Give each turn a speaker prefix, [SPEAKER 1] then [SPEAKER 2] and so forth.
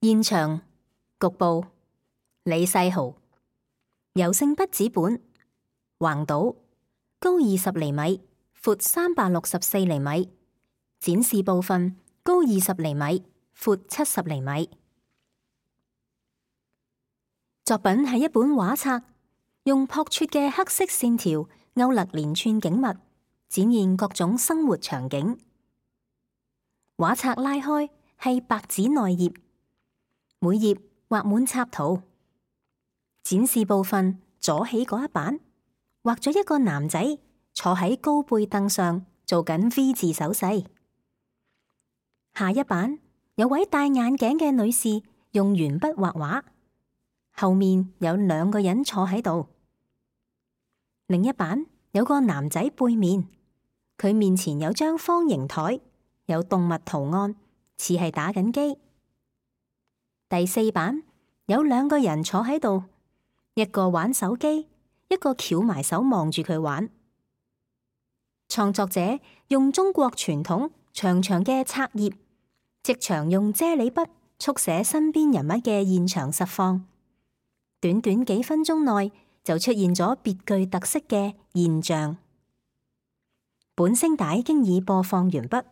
[SPEAKER 1] 現場局部李世豪，油性筆紙本，橫倒，高20厘米，闊364厘米，展示部分高20厘米，闊70厘米。作品係一本畫冊，用樸拙嘅黑色線條勾勒連串景物，展現各種生活場景。畫冊拉開係白紙內頁，每頁畫滿插圖。展示部分左起嗰一版，畫咗一個男仔坐喺高背凳上做緊 V 字手勢。下一版有位戴眼鏡嘅女士用鉛筆畫畫，後面有2個人坐喺度。另一版有個男仔背面，佢面前有張方形台，有動物圖案，似係打緊機。第4版有2個人坐喺度，一個玩手機，一個翹埋手望住佢玩。創作者用中國傳統長長嘅冊頁，即場用啫喱筆速寫身邊人物嘅現場實況，短短幾分鐘內就出現咗別具特色嘅現象。本聲帶經已播放完畢。